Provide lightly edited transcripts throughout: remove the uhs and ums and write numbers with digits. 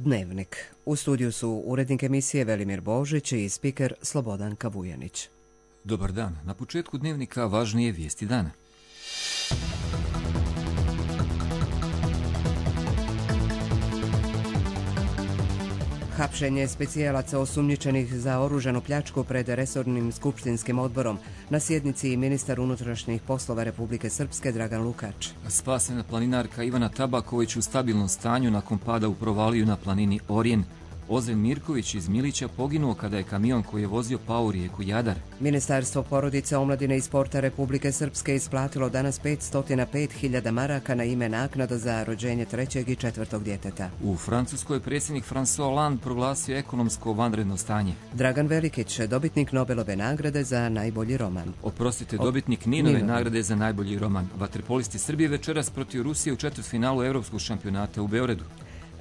Dnevnik. U studiju su urednik emisije Velimir Božić i spiker Slobodan Kavujanić. Dobar dan. Na početku Dnevnika važnije vijesti dana. Hapšenje specijalaca osumnjičenih za oružanu pljačku pred resornim skupštinskim odborom. Na sjednici ministar unutrašnjih poslova Republike Srpske Dragan Lukač. Spasena planinarka Ivana Tabaković u stabilnom stanju nakon pada u provaliju na planini Orijen. Ozren Mirković iz Milića poginuo kada je kamion koji je vozio pao u rijeku Jadar. Ministarstvo porodice, omladine i sporta Republike Srpske isplatilo danas 505.000 maraka na ime naknada za rođenje trećeg i četvrtog djeteta. U Francuskoj predsjednik François Hollande proglasio ekonomsko vanredno stanje. Dragan Velikić, dobitnik Nobelove nagrade za najbolji roman. Dobitnik Ninove nagrade za najbolji roman. Vaterpolisti Srbije večeras protiv Rusije u četvrtfinalu Evropskog šampionata u Beogradu.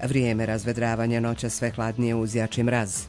Vrijeme razvedravanja, noća sve hladnije uz jači mraz.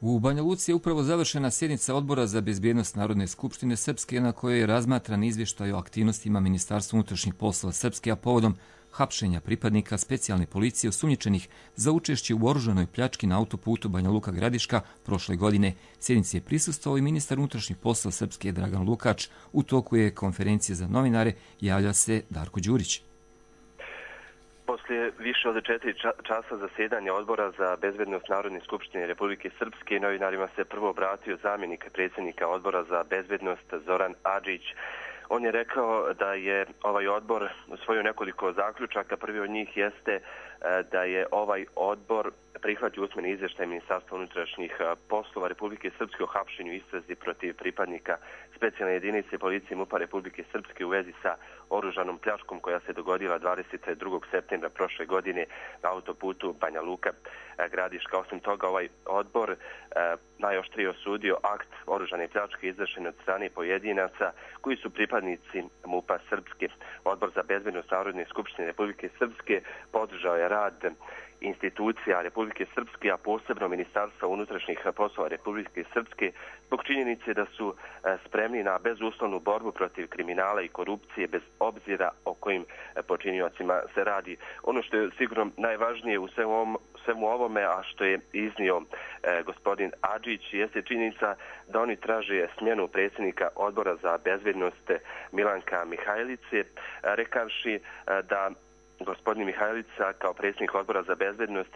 U Banja Luci je upravo završena sjednica Odbora za bezbjednost Narodne skupštine Srpske na kojoj je razmatran izvještaj o aktivnostima Ministarstva unutrašnjih poslova Srpske, a povodom hapšenja pripadnika specijalne policije osumnjičenih za učešće u oružanoj pljački na autoputu Banja Luka-Gradiška prošle godine. Sjednici je prisustvovao i ministar unutrašnjih poslova Srpske Dragan Lukač. U toku je konferencije za novinare, javlja se Darko Đurić. Poslije više od 4 časa zasjedanja Odbora za bezbednost Narodne skupštine Republike Srpske novinarima se prvo obratio zamjenik predsjednika Odbora za bezbednost Zoran Adžić. On je rekao da je ovaj odbor usvojio nekoliko zaključaka. Prvi od njih jeste da je ovaj odbor prihvatio usmeni izvještaj Ministarstva unutrašnjih poslova Republike Srpske o hapšenju i istrazi protiv pripadnika specijalne jedinice policije MUP-a Republike Srpske u vezi sa oružanom pljačkom koja se dogodila 22. septembra prošle godine na autoputu Banja Luka-Gradiška. Osim toga, ovaj odbor najoštrije osudio akt oružane pljačke izvršene od strane pojedinaca koji su pripadnici MUP-a Srpske. Odbor za bezbednost Narodne skupštine Republike Srpske podržao je rad institucija Republike Srpske, a posebno Ministarstva unutrašnjih poslova Republike Srpske, zbog činjenice da su spremni na bezuslovnu borbu protiv kriminala i korupcije bez obzira o kojim počiniocima se radi. Ono što je sigurno najvažnije u svemu ovome, a što je iznio gospodin Adžić, jeste činjenica da oni traže smjenu predsjednika Odbora za bezbednost Milanka Mihajlice, rekavši da gospodin Mihajlica kao predsjednik Odbora za bezbednost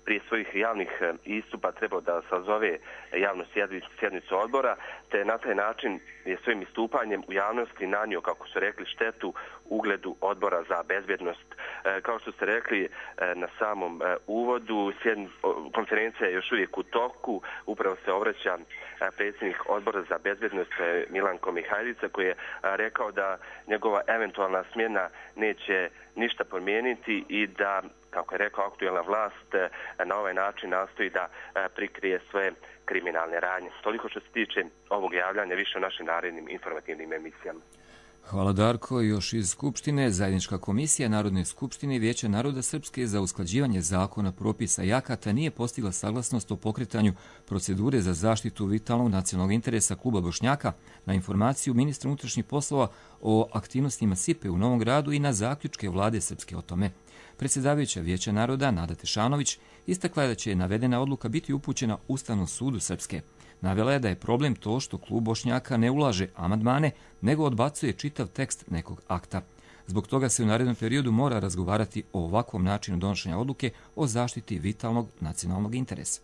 prije svojih javnih istupa trebao da sazove javnu sjednicu odbora, te na taj način je svojim istupanjem u javnosti nanio, kako su rekli, štetu ugledu Odbora za bezbednost. Kao što ste rekli na samom uvodu, konferencija je još uvijek u toku. Upravo se obraća predsjednik Odbora za bezbednost Milanko Mihajlica, koji je rekao da njegova eventualna smjena neće ništa promijeniti i da, kako je rekao, aktuelna vlast na ovaj način nastoji da prikrije svoje kriminalne radnje. Toliko što se tiče ovog javljanja, više o našim narednim informativnim emisijama. Hvala Darko. Još iz Skupštine, Zajednička komisija Narodne skupštine i Vijeća naroda Srpske za usklađivanje zakona, propisa i akata nije postigla saglasnost o pokretanju procedure za zaštitu vitalnog nacionalnog interesa kluba Bošnjaka na informaciju ministra unutrašnjih poslova o aktivnostima SIPE u Novom Gradu i na zaključke vlade Srpske o tome. Predsjedavajuća Vijeća naroda Nada Tešanović istakla je da će navedena odluka biti upućena Ustavnom sudu Srpske. Navela je da je problem to što klub Bošnjaka ne ulaže amandmane, nego odbacuje čitav tekst nekog akta. Zbog toga se u narednom periodu mora razgovarati o ovakvom načinu donošenja odluke o zaštiti vitalnog nacionalnog interesa.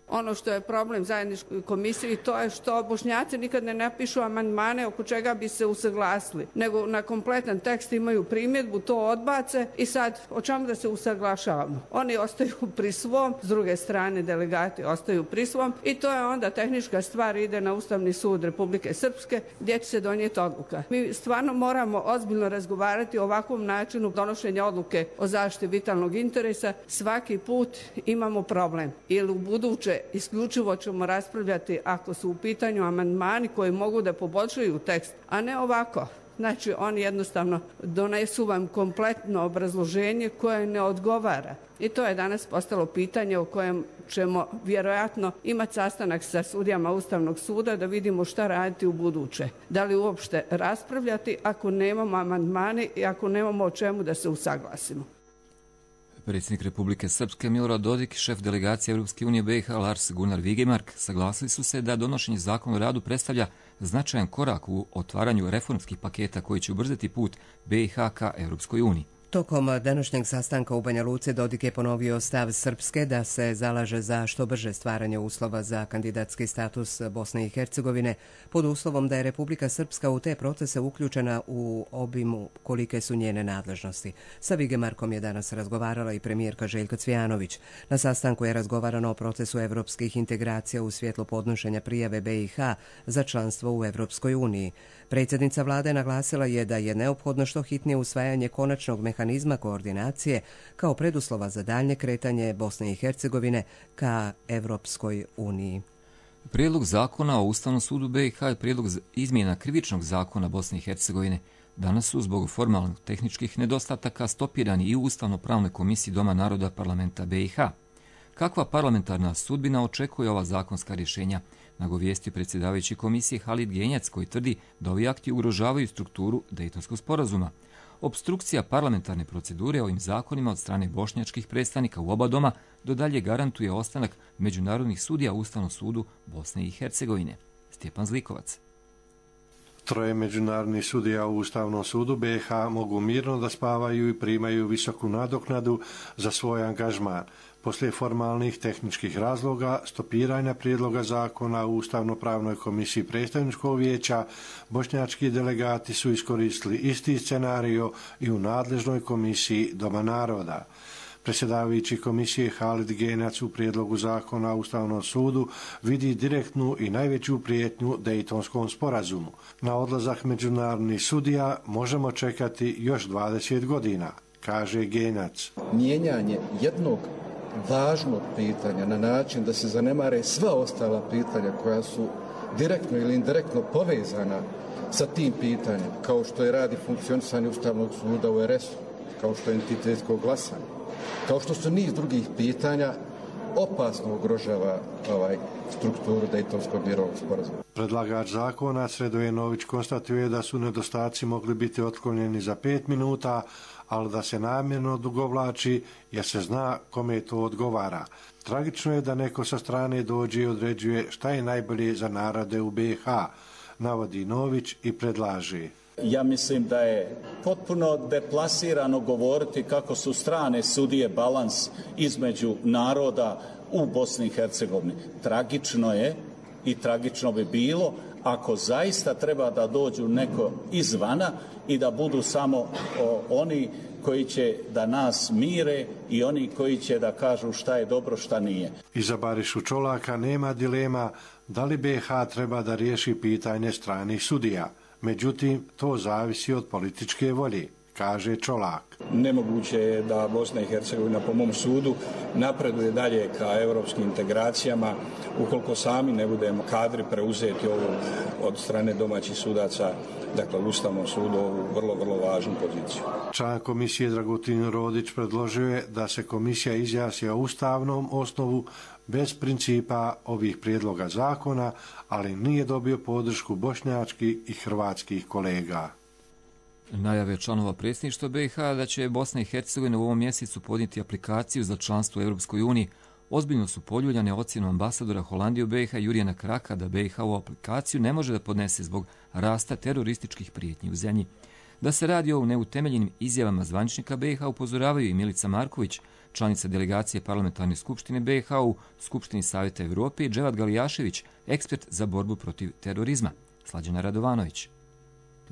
Ono što je problem zajedničkoj komisiji, to je što Bošnjaci nikad ne napišu amandmane oko čega bi se usaglasili, nego na kompletan tekst imaju primjedbu, to odbace i sad o čemu da se usaglašavamo. Oni ostaju pri svom, s druge strane delegati ostaju pri svom i to je onda tehnička stvar, ide na Ustavni sud Republike Srpske gdje će se donijeti odluka. Mi stvarno moramo ozbiljno razgovarati o ovakvom načinu donošenja odluke o zaštiti vitalnog interesa. Svaki put imamo problem ili u buduće isključivo ćemo raspravljati ako su u pitanju amandmani koji mogu da poboljšaju tekst, a ne ovako. Znači oni jednostavno donesu vam kompletno obrazloženje koje ne odgovara. I to je danas postalo pitanje o kojem ćemo vjerojatno imati sastanak sa sudijama Ustavnog suda da vidimo šta raditi u buduće. Da li uopšte raspravljati ako nemamo amandmane i ako nemamo o čemu da se usaglasimo. Predsjednik Republike Srpske Milorad Dodik i šef delegacije Europske unije BiH Lars Gunnar Vigemark saglasili su se da donošenje zakona o radu predstavlja značajan korak u otvaranju reformskih paketa koji će ubrzati put BiH ka Europskoj uniji. Tokom današnjeg sastanka u Banja Luci Dodik je ponovio stav Srpske da se zalaže za što brže stvaranje uslova za kandidatski status Bosne i Hercegovine pod uslovom da je Republika Srpska u te procese uključena u obimu kolike su njene nadležnosti. Sa Vigemarkom je danas razgovarala i premijerka Željka Cvijanović. Na sastanku je razgovarano o procesu evropskih integracija u svjetlu podnošenja prijave BiH za članstvo u Europskoj uniji. Predsjednica vlade naglasila je da je neophodno što hitnije usvajanje konačnog mehanizma koordinacije kao preduslova za daljnje kretanje Bosne i Hercegovine ka Europskoj uniji. Prijedlog zakona o Ustavnom sudu BiH i prijedlog izmjena krivičnog zakona Bosne i Hercegovine danas su zbog formalnih tehničkih nedostataka stopirani i u Ustavno-pravnoj komisiji Doma naroda parlamenta BiH. Kakva parlamentarna sudbina očekuje ova zakonska rješenja? Nagovijesti predsjedavajući komisije Halid Genjac koji tvrdi da ovi akti ugrožavaju strukturu Dejtonskog sporazuma. Opstrukcija parlamentarne procedure ovim zakonima od strane bošnjačkih predstavnika u oba doma do dalje garantuje ostanak međunarodnih sudija u Ustavnom sudu Bosne i Hercegovine. Stjepan Zlikovac. Troje međunarodnih sudija u Ustavnom sudu BiH mogu mirno da spavaju i primaju visoku nadoknadu za svoj angažman. Poslije formalnih tehničkih razloga, stopiranja prijedloga zakona u Ustavno-pravnoj komisiji predstavničkog vijeća, bošnjački delegati su iskoristili isti scenario i u nadležnoj komisiji Doma naroda. Predsjedavajući komisije Halid Genjac u prijedlogu zakona u Ustavnom sudu vidi direktnu i najveću prijetnju Dejtonskom sporazumu. Na odlazak međunarodnih sudija možemo čekati još 20 godina, kaže Genjac. Mijenjanje jednog važnog pitanja na način da se zanemare sva ostala pitanja koja su direktno ili indirektno povezana sa tim pitanjem, kao što je radi funkcionisanje Ustavnog suda u RS-u, kao što je entitetsko glasanje, kao što su niz drugih pitanja, opasno ugrožava strukturu Dejtonskog mirovnog sporazuma. Predlagač zakona Sredoje Nović konstatuje da su nedostaci mogli biti otklonjeni za 5 minuta, ali da se namjerno odugovlači jer se zna kome to odgovara. Tragično je da neko sa strane dođe i određuje šta je najbolje za narode u BiH, navodi Nović i predlaže. Ja mislim da je potpuno deplasirano govoriti kako su strane sudije balans između naroda u Bosni i Hercegovini. Tragično je i tragično bi bilo ako zaista treba da dođu neko izvana i da budu samo oni koji će da nas mire i oni koji će da kažu šta je dobro, šta nije. Iza Barišu Čolaka nema dilema da li BiH treba da riješi pitanje stranih sudija. Međutim, to zavisi od političke volje, kaže Čolak. Nemoguće je da Bosna i Hercegovina, po mom sudu, napreduje dalje ka europskim integracijama ukoliko sami ne budemo kadri preuzeti ovu od strane domaćih sudaca, dakle u Ustavnom sudu, ovu vrlo, vrlo važnu poziciju. Član komisije Dragutin Rodić predložio je da se komisija izjasni o ustavnom osnovu bez principa ovih prijedloga zakona, ali nije dobio podršku bošnjačkih i hrvatskih kolega. Najave članova predsjedništva BiH da će Bosna i Hercegovina u ovom mjesecu podnijeti aplikaciju za članstvo u Europskoj uniji ozbiljno su poljuljane ocjenom ambasadora Holandije u BiH Jurijana Kraka da BiH ovu aplikaciju ne može da podnese zbog rasta terorističkih prijetnji u zemlji. Da se radi o neutemeljenim izjavama zvaničnika BiH upozoravaju i Milica Marković, članica delegacije Parlamentarne skupštine BiH u Skupštini Savjeta Evrope i Dževad Galijašević, ekspert za borbu protiv terorizma. Slađana Radovanović.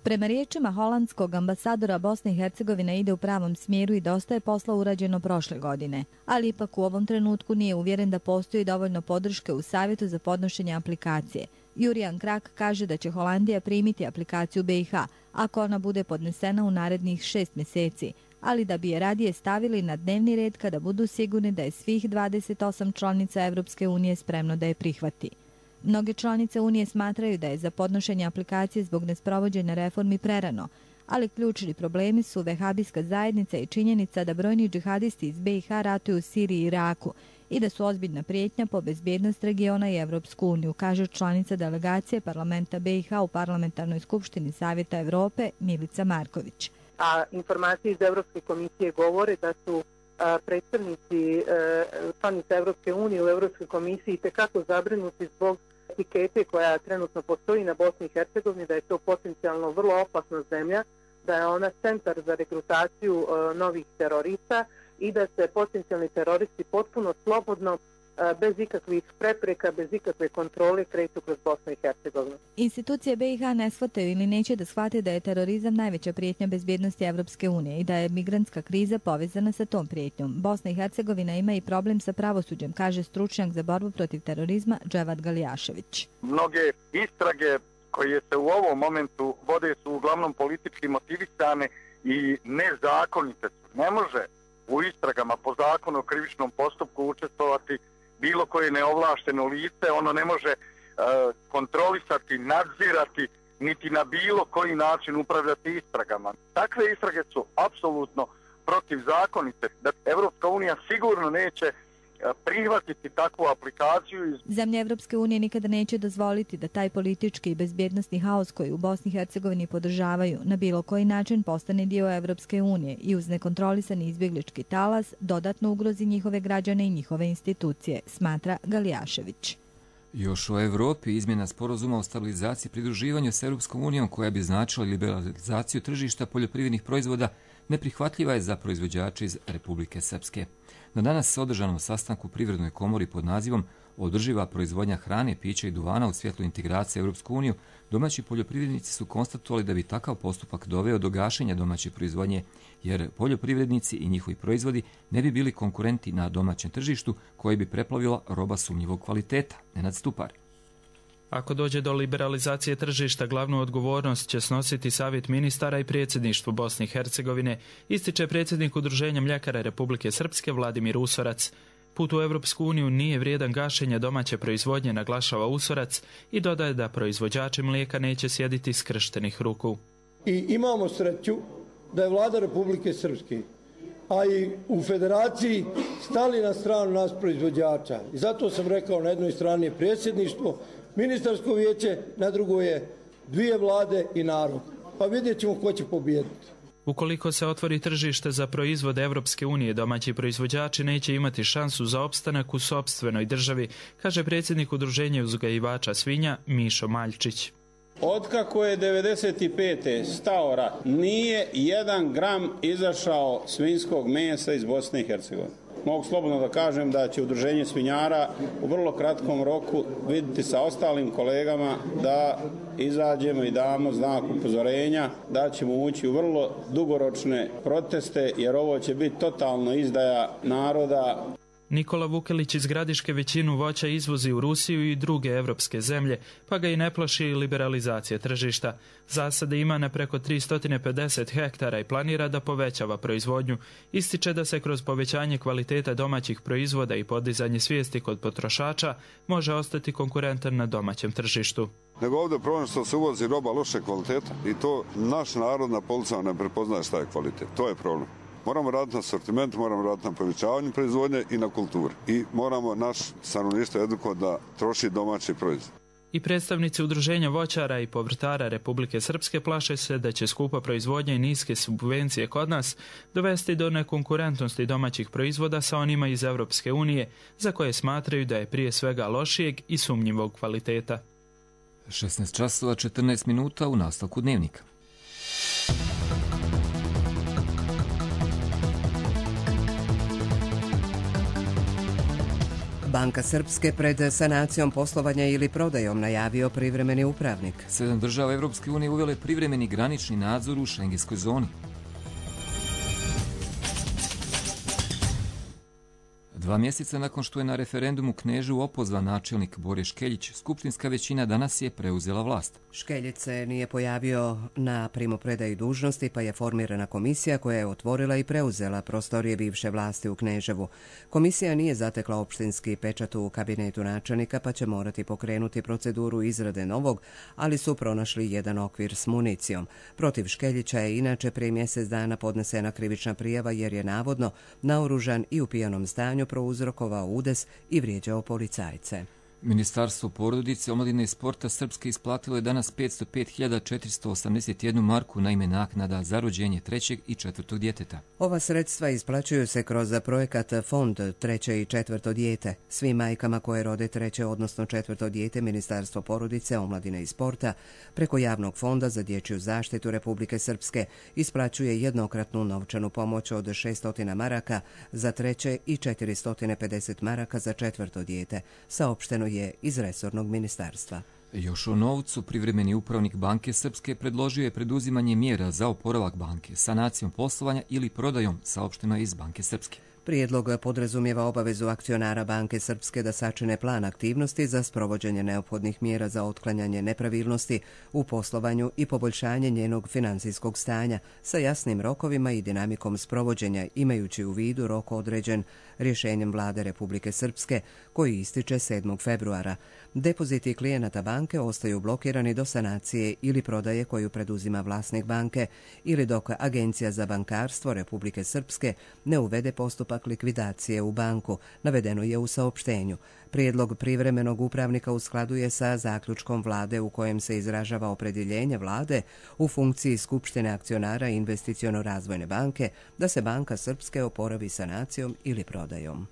Prema riječima holandskog ambasadora, Bosna i Hercegovina ide u pravom smjeru i dosta je posla urađeno prošle godine. Ali ipak u ovom trenutku nije uvjeren da postoji dovoljno podrške u savjetu za podnošenje aplikacije. Jurijan Krak kaže da će Holandija primiti aplikaciju BiH ako ona bude podnesena u narednih 6 mjeseci, ali da bi je radije stavili na dnevni red kada budu sigurni da je svih 28 članica Europske unije spremno da je prihvati. Mnoge članice Unije smatraju da je za podnošenje aplikacije zbog nesprovođenja reformi prerano, ali ključni problemi su vehabijska zajednica i činjenica da brojni džihadisti iz BiH ratuju u Siriji i Iraku i da su ozbiljna prijetnja po bezbjednost regiona i Evropsku uniju, kaže članica delegacije parlamenta BiH u Parlamentarnoj skupštini Savjeta Evrope Milica Marković. A informacije iz Evropske komisije govore da su predstavnici članica Evropske unije u Evropskoj komisiji tekako zabrinuti zbog etikete koja trenutno postoji na Bosni i Hercegovini, da je to potencijalno vrlo opasna zemlja, da je ona centar za regrutaciju novih terorista i da se potencijalni teroristi potpuno slobodno, bez ikakvih prepreka, bez ikakve kontrole kreću kroz Bosnu i Hercegovinu. Institucije BiH ne shvataju ili neće da shvate da je terorizam najveća prijetnja bezbjednosti Evropske unije i da je migrantska kriza povezana sa tom prijetnjom. Bosna i Hercegovina ima i problem sa pravosuđem, kaže stručnjak za borbu protiv terorizma Dževad Galijašević. Mnoge istrage koje se u ovom momentu vode su uglavnom politički motivisane i nezakonite su. Ne može u istragama po zakonu o krivičnom postupku učestvovati bilo koje neovlašteno lice, ono ne može kontrolisati, nadzirati, niti na bilo koji način upravljati istragama. Takve istrage su apsolutno protivzakonite. Da Evropska unija sigurno neće prihvatiti takvu aplikaciju. Zemlje Evropske unije nikada neće dozvoliti da taj politički i bezbjednosni haos koji u Bosni i Hercegovini podržavaju na bilo koji način postane dio Evropske unije i uz nekontrolisani izbjeglički talas dodatno ugrozi njihove građane i njihove institucije, smatra Galijašević. Još o Evropi, izmjena sporazuma o stabilizaciji i pridruživanju s Europskom unijom koja bi značila liberalizaciju tržišta poljoprivrednih proizvoda neprihvatljiva je za proizvođače iz Republike Srpske. Na danas održanom sastanku u Privrednoj komori pod nazivom Održiva proizvodnja hrane, pića i duvana u svjetlu integracije Europsku uniju, domaći poljoprivrednici su konstatovali da bi takav postupak doveo do gašenja domaće proizvodnje, jer poljoprivrednici i njihovi proizvodi ne bi bili konkurenti na domaćem tržištu koji bi preplavila roba sumnjivog kvaliteta. Nenad Stupar. Ako dođe do liberalizacije tržišta, glavnu odgovornost će snositi Savjet ministara i predsjedništvo Bosne i Hercegovine, ističe predsjednik Udruženja mljekara Republike Srpske Vladimir Usorac. Put u Evropsku uniju nije vrijedan gašenja domaće proizvodnje, naglašava Usorac i dodaje da proizvođači mlijeka neće sjediti skrštenih ruku. I imamo sreću da je vlada Republike Srpske, a i u federaciji stali na stranu nas proizvođača. I zato sam rekao, na jednoj strani je predsjedništvo, ministarsko vijeće, na drugoj je dvije vlade i narod. Pa vidjet ćemo ko će pobijediti. Ukoliko se otvori tržište za proizvode Evropske unije, domaći proizvođači neće imati šansu za opstanak u sopstvenoj državi, kaže predsjednik Udruženja uzgajivača svinja Mišo Maljčić. Otkako je 95. stao rat, nije 1 gram izašao svinjskog mesa iz Bosne i Hercegovine. Mogu slobodno da kažem da će Udruženje svinjara u vrlo kratkom roku vidjeti sa ostalim kolegama da izađemo i damo znak upozorenja da ćemo ući u vrlo dugoročne proteste, jer ovo će biti totalno izdaja naroda. Nikola Vukelić iz Gradiške većinu voća izvozi u Rusiju i druge evropske zemlje, pa ga i ne plaši liberalizacija tržišta. Zasade ima na preko 350 hektara i planira da povećava proizvodnju. Ističe da se kroz povećanje kvaliteta domaćih proizvoda i podizanje svijesti kod potrošača može ostati konkurentan na domaćem tržištu. Nego ovdje problem što se uvozi roba loše kvaliteta i to naš narod na policama ne prepoznaje šta je kvalitet. To je problem. Moramo raditi na sortimentu, moramo raditi na povećavanju proizvodnje i na kulturi. I moramo naš stanovništvo edukovati da troši domaći proizvod. I predstavnici Udruženja voćara i povrtara Republike Srpske plaše se da će skupa proizvodnja i niske subvencije kod nas dovesti do nekonkurentnosti domaćih proizvoda sa onima iz Evropske unije, za koje smatraju da je prije svega lošijeg i sumnjivog kvaliteta. 16 časova 14 minuta u nastavku dnevnika. Banka Srpske pred sanacijom poslovanja ili prodajom najavio privremeni upravnik. 7 država Evropske unije uvele privremeni granični nadzor u šengenskoj zoni. 2 mjeseca nakon što je na referendumu Kneževu opozvan načelnik Bore Škeljić, skupštinska većina danas je preuzela vlast. Škeljić se nije pojavio na primopredaji dužnosti, pa je formirana komisija koja je otvorila i preuzela prostorije bivše vlasti u Kneževu. Komisija nije zatekla opštinski pečat u kabinetu načelnika, pa će morati pokrenuti proceduru izrade novog, ali su pronašli jedan okvir s municijom. Protiv Škeljića je inače prije mjesec dana podnesena krivična prijava jer je navodno naoružan i u pijanom stanju prouzrokovao udes i vrijeđao policajce. Ministarstvo porodice, omladine i sporta Srpske isplatilo je danas 505.481 marku na ime naknada za rođenje 3. i 4. djeteta. Ova sredstva isplaćuju se kroz projekat Fond 3. i 4. dijete. Svim majkama koje rode 3. odnosno 4. dijete Ministarstvo porodice, omladine i sporta preko javnog fonda za dječju zaštitu Republike Srpske isplaćuje jednokratnu novčanu pomoć od 600 maraka za 3. i 450 maraka za 4. dijete, saopšteno je iz resornog ministarstva. Još o novcu, privremeni upravnik Banke Srpske predložio je preduzimanje mjera za oporavak banke, sanacijom poslovanja ili prodajom, saopšteno iz Banke Srpske. Prijedlog podrazumijeva obavezu akcionara Banke Srpske da sačine plan aktivnosti za sprovođenje neophodnih mjera za otklanjanje nepravilnosti u poslovanju i poboljšanje njenog financijskog stanja sa jasnim rokovima i dinamikom sprovođenja, imajući u vidu rok određen rješenjem Vlade Republike Srpske koji ističe 7. februara. Depoziti klijenata banke ostaju blokirani do sanacije ili prodaje koju preduzima vlasnik banke ili dok Agencija za bankarstvo Republike Srpske ne uvede postupak likvidacije u banku, navedeno je u saopštenju. Prijedlog privremenog upravnika u skladu je sa zaključkom vlade u kojem se izražava opredjeljenje vlade u funkciji Skupštine akcionara Investiciono-razvojne banke da se Banka Srpske oporavi sanacijom ili prodajom.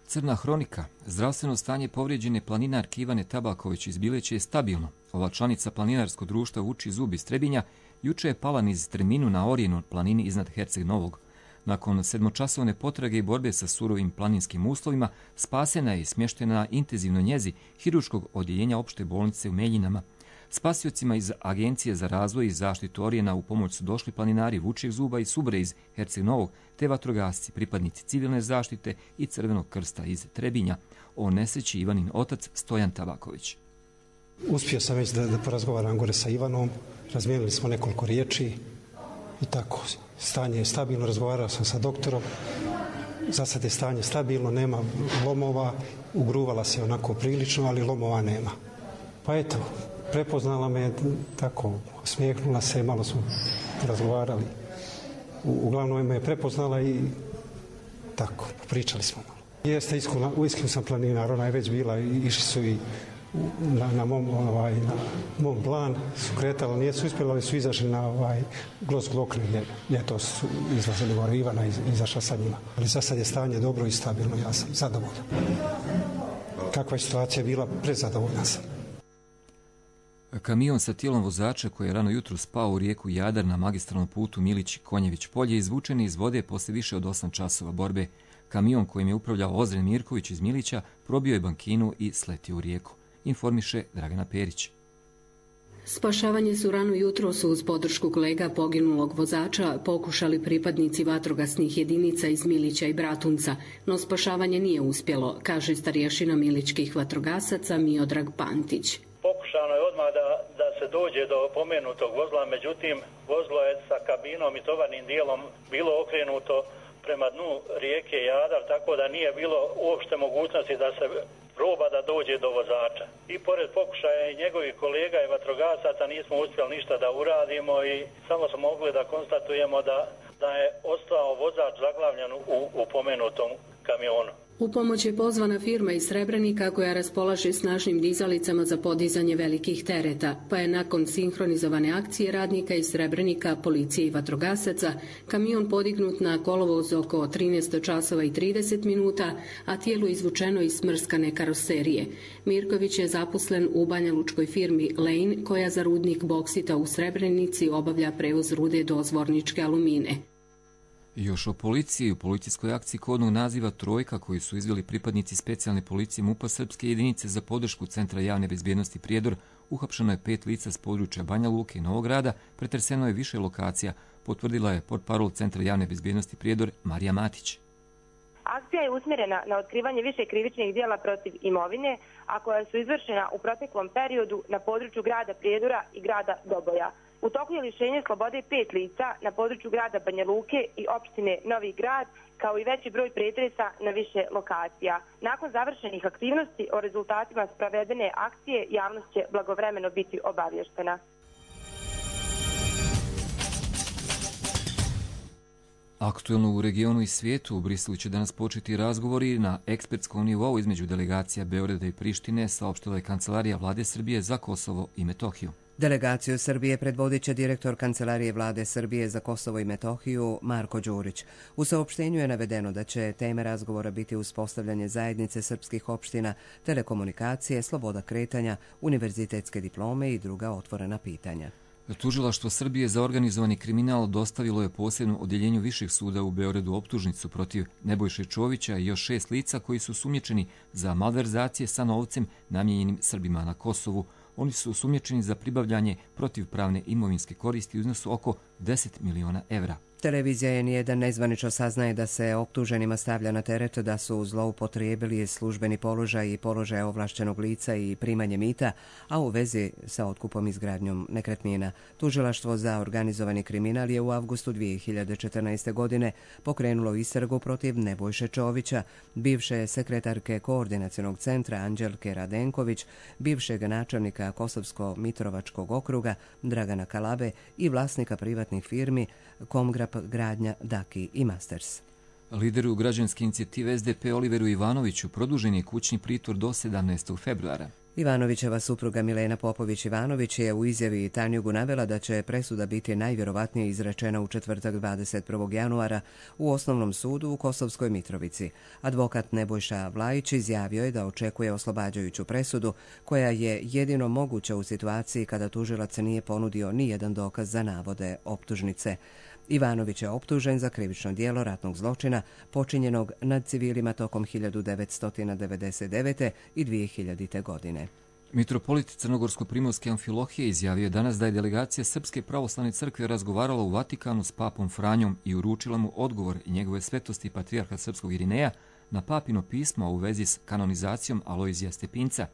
Crna hronika. Zdravstveno stanje povrijeđene planinarke Ivane Tabaković iz Bileće je stabilno. Ova članica planinarskog društva Vuči zub iz Trebinja juče je pala niz Terminu na Orijenu planini iznad Herceg Novog. Nakon 7-časovne potrage i borbe sa surovim planinskim uslovima, spasena je i smještena na intenzivnoj njezi hirurškog odjeljenja opšte bolnice u Meljinama. Spasiocima iz Agencije za razvoj i zaštitu Orijena u pomoć su došli planinari Vučijeg zuba i Subre iz Herceg Novog, te vatrogasci, pripadnici civilne zaštite i Crvenog krsta iz Trebinja. O nesreći Ivanin otac Stojan Tabaković. Uspio sam već da porazgovaram gore sa Ivanom, razmijenili smo nekoliko riječi i tako. Stanje je stabilno, razgovarao sam sa doktorom, za sad je stanje stabilno, nema lomova, ugruvala se onako prilično, ali lomova nema. Pa eto, prepoznala me tako, smijehnula se, malo smo razgovarali. Uglavnom me je prepoznala i tako, pričali smo malo. Jeste, uistinu sam planinar, ona je već bila, išli su i na mom plan, su kretali, nijesu uspjeli, ali su izašli na Glos Glokne, ljeto su izlazili gore, Ivana izašla sa njima. Ali za sad je stanje dobro i stabilno, ja sam zadovoljan. Kakva je situacija bila, prezadovoljan sam. Kamion sa tijelom vozača koji je rano jutro spao u rijeku Jadar na magistralnom putu Milić-Konjević polje izvučen iz vode poslije više od 8 časova borbe. Kamion kojim je upravljao Ozren Mirković iz Milića probio je bankinu i sletio u rijeku. Informiše Dragana Perić. Spašavanje su rano jutros uz podršku kolega poginulog vozača pokušali pripadnici vatrogasnih jedinica iz Milića i Bratunca, no spašavanje nije uspjelo, kaže starješina milićkih vatrogasaca Miodrag Pantić. Pokušano je odmah da se dođe do pomenutog vozila, međutim vozilo je sa kabinom i tovarnim dijelom bilo okrenuto prema dnu rijeke Jadar, tako da nije bilo uopšte mogućnosti da se proba da dođe do vozača. I pored pokušaja i njegovih kolega i vatrogasaca nismo uspjeli ništa da uradimo i samo smo mogli da konstatujemo da je ostao vozač zaglavljen u pomenutom kamionu. U pomoć je pozvana firma iz Srebrenika koja raspolaže snažnim dizalicama za podizanje velikih tereta, pa je nakon sinhronizovane akcije radnika iz Srebrenika, policije i vatrogasaca, kamion podignut na kolovoz oko 13 časova i 30 minuta, a tijelo izvučeno iz smrskane karoserije. Mirković je zaposlen u banjalučkoj firmi Lane, koja za rudnik boksita u Srebrenici obavlja prevoz rude do Zvorničke Alumine. Još o policiji. U policijskoj akciji kodnog naziva Trojka koju su izveli pripadnici specijalne policije MUP-a Srpske jedinice za podršku Centra javne bezbjednosti Prijedor uhapšeno je 5 lica s područja Banja Luke i Novog Grada, pretreseno je više lokacija, potvrdila je portparol Centra javne bezbjednosti Prijedor Marija Matić. Akcija je usmjerena na otkrivanje više krivičnih djela protiv imovine, a koja su izvršena u proteklom periodu na području grada Prijedora i grada Doboja. U toku je lišenje slobode 5 lica na području grada Banja Luke i opštine Novi Grad, kao i veći broj pretresa na više lokacija. Nakon završenih aktivnosti o rezultatima sprovedene akcije, javnost će blagovremeno biti obavještena. Aktuelno u regionu i svijetu, u Briselu će danas početi razgovori na ekspertskom nivou između delegacija Beograda i Prištine, saopštila je Kancelarija Vlade Srbije za Kosovo i Metohiju. Delegaciju Srbije predvodit će direktor Kancelarije Vlade Srbije za Kosovo i Metohiju Marko Đurić. U saopštenju je navedeno da će teme razgovora biti uspostavljanje zajednice srpskih opština, telekomunikacije, sloboda kretanja, univerzitetske diplome i druga otvorena pitanja. Tužilaštvo Srbije za organizovani kriminal dostavilo je posebno odjeljenju Višeg suda u Beogradu optužnicu protiv Nebojše Čovića i još 6 lica koji su sumnjičeni za malverzacije sa novcem namijenjenim Srbima na Kosovu. Oni su osumnjičeni za pribavljanje protivpravne imovinske koristi u iznosu oko 10 miliona evra. Televizija N1 nezvanično saznaje da se optuženima stavlja na teret da su zloupotrijebili službeni položaj i položaj ovlašćenog lica i primanje mita, a u vezi sa otkupom i izgradnjom nekretnina. Tužilaštvo za organizovani kriminal je u avgustu 2014. godine pokrenulo istragu protiv Nebojše Čovića, bivše sekretarke Koordinacionog centra Anđelke Radenković, bivšeg načelnika Kosovsko-Mitrovačkog okruga Dragana Kalabe i vlasnika privatnih firmi Komgrap Gradnja, Daki i Masters. Lideru građanske inicijative SDP Oliveru Ivanoviću produžen je kućni pritvor do 17. februara. Ivanovićeva supruga Milena Popović-Ivanović je u izjavi Tanjugu navela da će presuda biti najvjerovatnije izrečena u četvrtak 21. januara u Osnovnom sudu u Kosovskoj Mitrovici. Advokat Nebojša Vlajić izjavio je da očekuje oslobađajuću presudu, koja je jedino moguća u situaciji kada tužilac nije ponudio ni jedan dokaz za navode optužnice. Ivanović je optužen za krivično djelo ratnog zločina počinjenog nad civilima tokom 1999. i 2000. godine. Mitropolit Crnogorsko-Primorske Amfilohije izjavio je danas da je delegacija Srpske pravoslavne crkve razgovarala u Vatikanu s papom Franjom i uručila mu odgovor njegove svetosti patrijarha srpskog Irineja na papino pismo u vezi s kanonizacijom Alojzija Stepinca.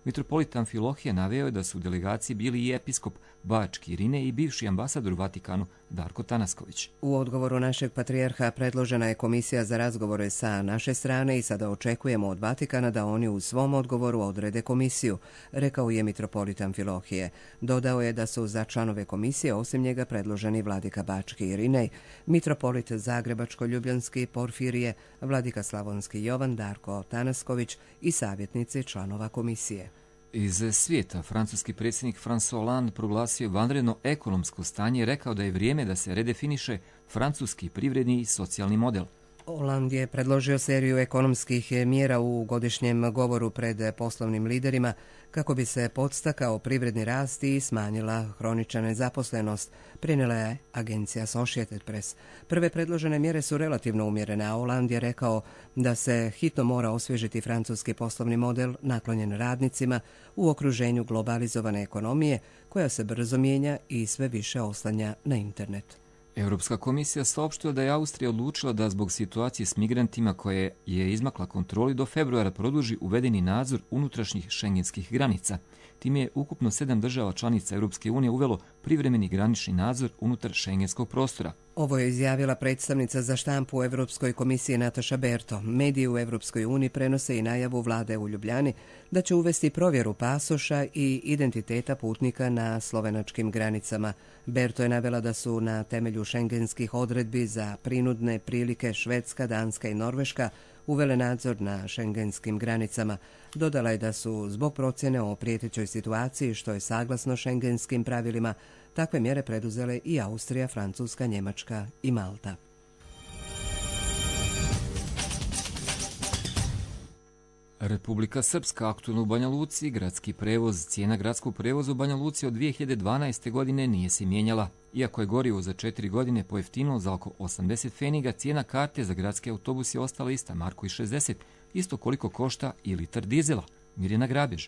Mitropolit Amfilohije naveo je da su u delegaciji bili i episkop Bački Irine i bivši ambasador u Vatikanu Darko Tanasković. U odgovoru našeg patrijarha predložena je komisija za razgovore sa naše strane i sada očekujemo od Vatikana da oni u svom odgovoru odrede komisiju, rekao je mitropolit Amfilohije. Dodao je da su za članove komisije osim njega predloženi vladika Bački Irinej, mitropolit Zagrebačko-Ljubljanski Porfirije, vladika Slavonski Jovan Darko Tanasković i savjetnici članova komisije. Iz svijeta, francuski predsjednik François Hollande proglasio vanredno ekonomsko stanje i rekao da je vrijeme da se redefiniše francuski privredni i socijalni model. Hollande je predložio seriju ekonomskih mjera u godišnjem govoru pred poslovnim liderima kako bi se podstakao privredni rast i smanjila hronična nezaposlenost, prenijela je agencija Associated Press. Prve predložene mjere su relativno umjerene, a Hollande je rekao da se hitno mora osvježiti francuski poslovni model naklonjen radnicima u okruženju globalizovane ekonomije koja se brzo mijenja i sve više oslanja na internet. Europska komisija saopštila da je Austrija odlučila da zbog situacije s migrantima koje je izmakla kontroli do februara produži uvedeni nadzor unutrašnjih šengenskih granica. Time je ukupno 7 država članica Europske unije uvelo privremeni granični nadzor unutar šengenskog prostora. Ovo je izjavila predstavnica za štampu u Europskoj komisiji Nataša Berto. Mediji u Europskoj uniji prenose i najavu vlade u Ljubljani da će uvesti provjeru pasoša i identiteta putnika na slovenačkim granicama. Berto je navela da su na temelju šengenskih odredbi za prinudne prilike Švedska, Danska i Norveška uvele nadzor na šengenskim granicama. Dodala je da su zbog procjene o prijetećoj situaciji, što je saglasno šengenskim pravilima, takve mjere preduzele i Austrija, Francuska, Njemačka i Malta. Republika Srpska aktualno u Banja Luci, gradski prevoz. Cijena gradskog prevoza u Banja Luci od 2012. godine nije se mijenjala. Iako je gorivo za 4 godine pojeftinilo za oko 80 pfeniga, cijena karte za gradski autobus je ostala ista, marku i 60, isto koliko košta i litar dizela. Mirjana Grabež.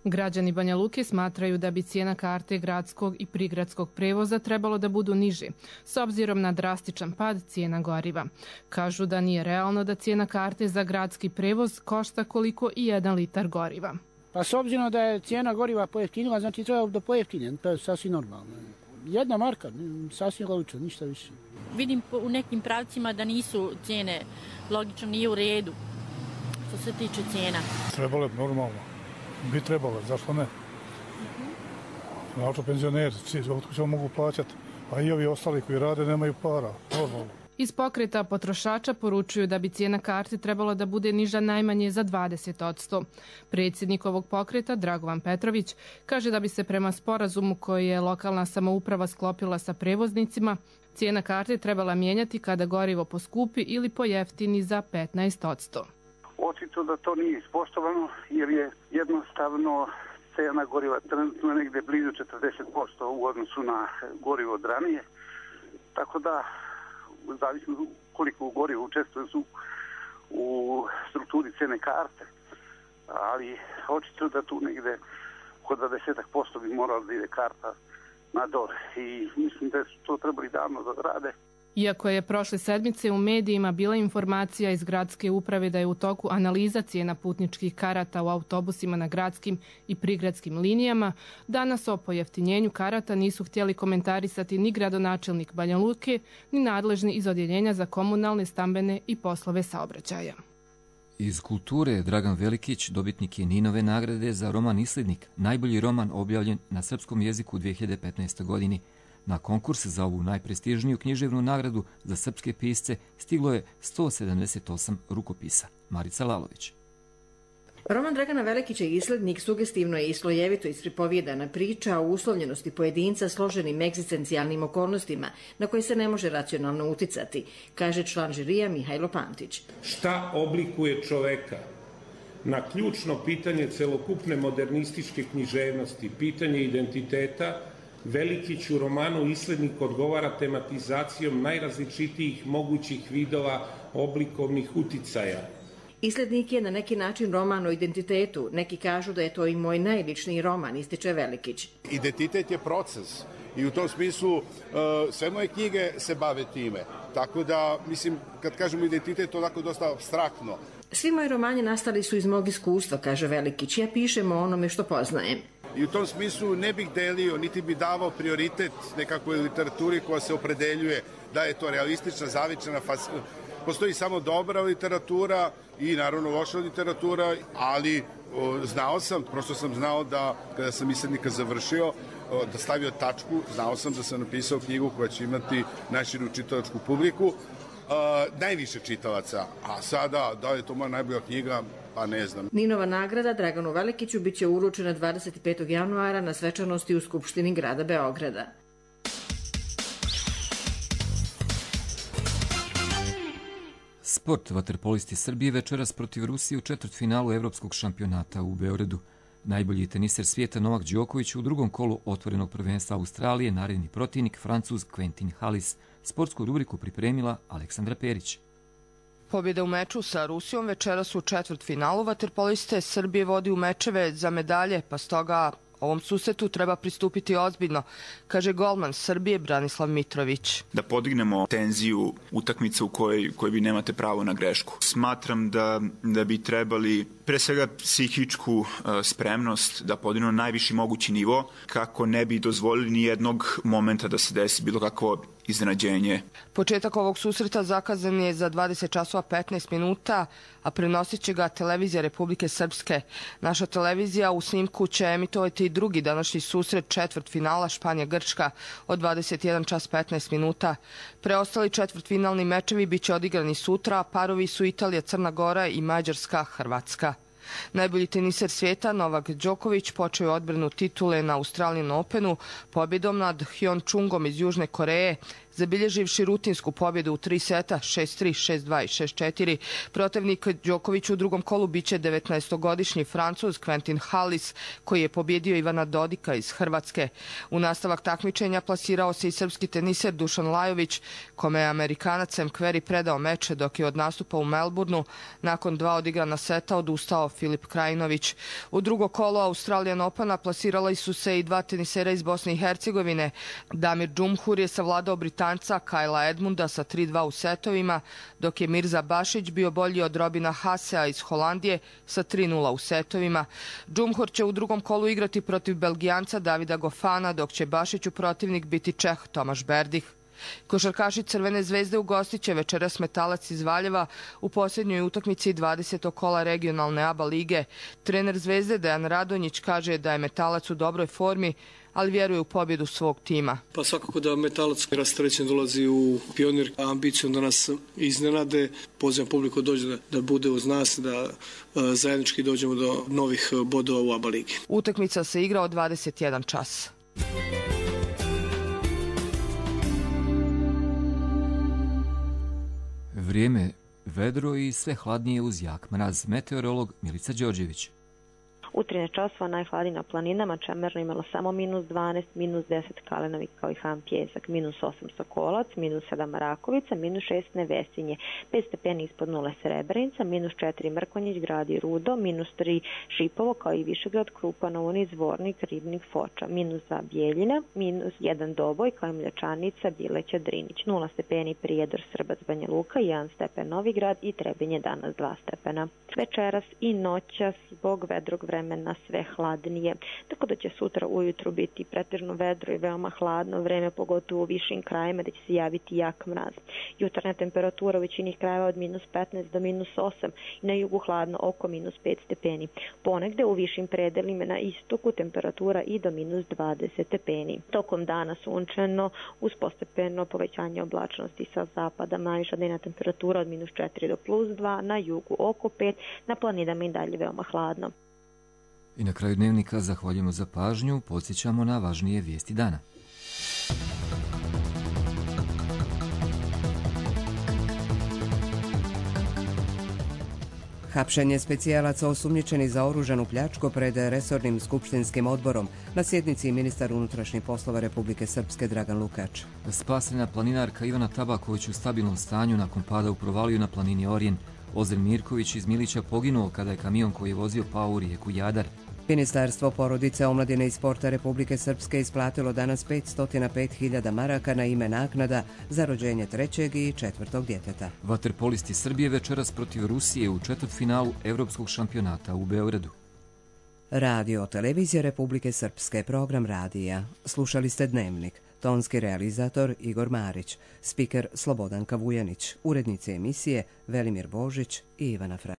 Građani Banja Luke smatraju da bi cijena karte gradskog i prigradskog prevoza trebalo da budu niže, s obzirom na drastičan pad cijena goriva. Kažu da nije realno da cijena karte za gradski prevoz košta koliko i 1 litar goriva. Pa s obzirom da je cijena goriva pojeftinila, znači treba da pojeftinje, to je sasvim normalno. 1 marka, sasvim logično, ništa više. Vidim u nekim pravcima da nisu cijene, logično nije u redu što se tiče cijena. Trebalo je normalno, bi trebalo, zašto ne? Znači penzioneri, otko ćemo mogu plaćati, a i ovi ostali koji rade nemaju para, normalno. Iz pokreta potrošača poručuju da bi cijena karte trebalo da bude niža najmanje za 20%. Predsjednik ovog pokreta, Dragovan Petrović, kaže da bi se prema sporazumu koji je lokalna samouprava sklopila sa prevoznicima, cijena karte trebala mijenjati kada gorivo poskupi ili pojeftini za 15%. Očito da to nije ispoštovano jer je jednostavno cijena goriva trenutno negdje blizu 40% u odnosu na gorivo od ranije. Tako da zavisno koliko gorivo učestvuje u strukturi cijene karte, ali očito da tu negdje oko 20% bi moralo da ide karta na dole i mislim da su to trebali davno da rade. Iako je prošle sedmice u medijima bila informacija iz gradske uprave da je u toku analiza cijena putničkih karata u autobusima na gradskim i prigradskim linijama, danas o pojeftinjenju karata nisu htjeli komentarisati ni gradonačelnik Banja Luke, ni nadležni iz Odjeljenja za komunalne, stambene i poslove saobraćaja. Iz kulture Dragan Velikić dobitnik je Ninove nagrade za roman Islednik, najbolji roman objavljen na srpskom jeziku u 2015. godini. Na konkurs za ovu najprestižniju književnu nagradu za srpske pisce stiglo je 178 rukopisa. Marica Lalović. Roman Dragana Velikića Islednik sugestivno je i slojevito ispripovijedana priča o uslovljenosti pojedinca složenim egzistencijalnim okolnostima na koje se ne može racionalno uticati, kaže član žirija Mihajlo Pantić. Šta oblikuje čoveka? Na ključno pitanje celokupne modernističke književnosti, pitanje identiteta, Velikić u romanu Islednik odgovara tematizacijom najrazličitijih mogućih vidova oblikovnih uticaja. Islednik je na neki način roman o identitetu. Neki kažu da je to i moj najličniji roman, ističe Velikić. Identitet je proces i u tom smislu sve moje knjige se bave time. Tako da, mislim, kad kažemo identitet, to je tako dosta abstraktno. Svi moji romani nastali su iz mog iskustva, kaže Velikić. Ja pišem o onome što poznajem. I u tom smislu ne bih delio, niti bi davao prioritet nekakvoj literaturi koja se opredeljuje da je to realistična, zavičana, postoji samo dobra literatura i naravno loša literatura, ali prosto sam znao da kada sam Islednika završio, da stavio tačku, znao sam da sam napisao knjigu koja će imati najširu čitalačku publiku, najviše čitalaca, a sada da li je to moja najbolja knjiga, pa ne znam. Ninova nagrada Draganu Velikiću biće uručena 25. januara na svečanosti u Skupštini grada Beograda. Sport. Vaterpolisti Srbije večeras protiv Rusije u četvrtfinalu Evropskog šampionata u Beogradu. Najbolji teniser svijeta Novak Đoković u drugom kolu otvorenog prvenstva Australije, naredni protivnik Francuz Quentin Halys. Sportsku rubriku pripremila Aleksandra Perić. Pobjeda u meču sa Rusijom večeras u četvrtfinalu. Vaterpoliste Srbije vodi u mečeve za medalje, pa stoga ovom susretu treba pristupiti ozbiljno, kaže golman Srbije Branislav Mitrović. Da podignemo tenziju utakmice u kojoj vi nemate pravo na grešku. Smatram da bi trebali pre svega psihičku spremnost da podignemo najviši mogući nivo kako ne bi dozvolili ni jednog momenta da se desi bilo kakvo iznenađenje. Početak ovog susreta zakazan je za 20 časova 15 minuta, a prenosit će ga televizija Republike Srpske. Naša televizija u snimku će emitovati i drugi današnji susret četvrtfinala Španija-Grčka od 21 čas 15 minuta. Preostali četvrtfinalni mečevi biće odigrani sutra, a parovi su Italija, Crna Gora i Mađarska, Hrvatska. Najbolji teniser svijeta Novak Đoković počeo je odbranu titule na Australian Openu pobjedom nad Hyon Chungom iz Južne Koreje zabilježivši rutinsku pobjedu u 3 seta 6-3, 6-2 i 6-4. Protivnik Đoković u drugom kolu biće 19-godišnji Francuz Quentin Halys, koji je pobjedio Ivana Dodika iz Hrvatske. U nastavak takmičenja plasirao se i srpski teniser Dušan Lajović, kome je Amerikanac Sam Querrey predao meč, dok je od nastupa u Melbourneu nakon 2 odigrana seta odustao Filip Krajinović. U drugo kolo Australian Opena plasirali su se i 2 tenisera iz Bosne i Hercegovine. Damir Džumhur je savladao Britanca Kajla Edmunda sa 3-2 u setovima, dok je Mirza Bašić bio bolji od Robina Hasea iz Holandije sa 3-0 u setovima. Džumhur će u drugom kolu igrati protiv Belgijanca Davida Gofana, dok će Bašiću protivnik biti Čeh Tomaš Berdih. Košarkaši Crvene zvezde ugostit će večeras Metalac iz Valjeva u posljednjoj utakmici 20. kola regionalne ABA lige. Trener Zvezde Dejan Radonjić kaže da je Metalac u dobroj formi, ali vjeruje u pobjedu svog tima. Pa svakako da Metalac rasterećen dolazi u Pionir, ambicijom da nas iznenade. Pozivam publiku dođe da bude uz nas, da zajednički dođemo do novih bodova u ABA ligi. Utakmica se igra od 21 čas. Vrijeme vedro i sve hladnije uz jak mraz. Meteorolog Milica Đorđević. U 13 časova najhladnije na planinama, Čemerno imalo samo -12, -10 Kalenovik kao i Ham Pjesak, -8 Sokolac, -7 Rakovica, -6 Nevesinje, 5 stepeni ispod nule Srebrenica, -4 Mrkonjić, Grad i Rudo, -3 Šipovo kao i Višegrad, Krupa, Novuni, Zvornik, Ribnik, Foča, -2 Bijeljina, -1 Doboj kao i Mljačanica, Bileća, Drinić, 0 stepeni Prijedor, Srbac, Banja Luka, 1 stepen Novigrad i Trebinje danas 2 stepena. Večeras i noćas zbog vedrog vremena sve hladnije, tako da će sutra ujutru biti pretežno vedro i veoma hladno vreme, pogotovo u višim krajevima da će se javiti jak mraz. Jutarnja temperatura u većini krajeva od -15 do -8 i na jugu hladno oko -5 stepeni. Ponegde u višim predelima na istoku temperatura i do -20 stepeni. Tokom dana sunčano uz postepeno povećanje oblačnosti sa zapada, najviša dnevna temperatura od -4 do +2, na jugu oko 5, na planinama i dalje veoma hladno. I na kraju dnevnika zahvaljujemo za pažnju, podsjećamo na važnije vijesti dana. Hapšenje specijalaca osumnjičeni za oružanu pljačku pred resornim skupštinskim odborom. Na sjednici ministar unutrašnjih poslova Republike Srpske Dragan Lukač. Spasena planinarka Ivana Tabaković u stabilnom stanju nakon pada u provaliju na planini Orijen. Ozren Mirković iz Milića poginuo kada je kamion koji je vozio pao u rijeku Jadar. Ministarstvo porodice, omladine i sporta Republike Srpske isplatilo danas 505.000 maraka na ime naknada za rođenje 3. i 4. djeteta. Vaterpolisti Srbije večeras protiv Rusije u četvrtfinalu Evropskog šampionata u Beogradu. Radio televizija Republike Srpske, program radija. Slušali ste Dnevnik. Tonski realizator Igor Marić, spiker Slobodanka Vujanić, urednice emisije Velimir Božić i Ivana Fra.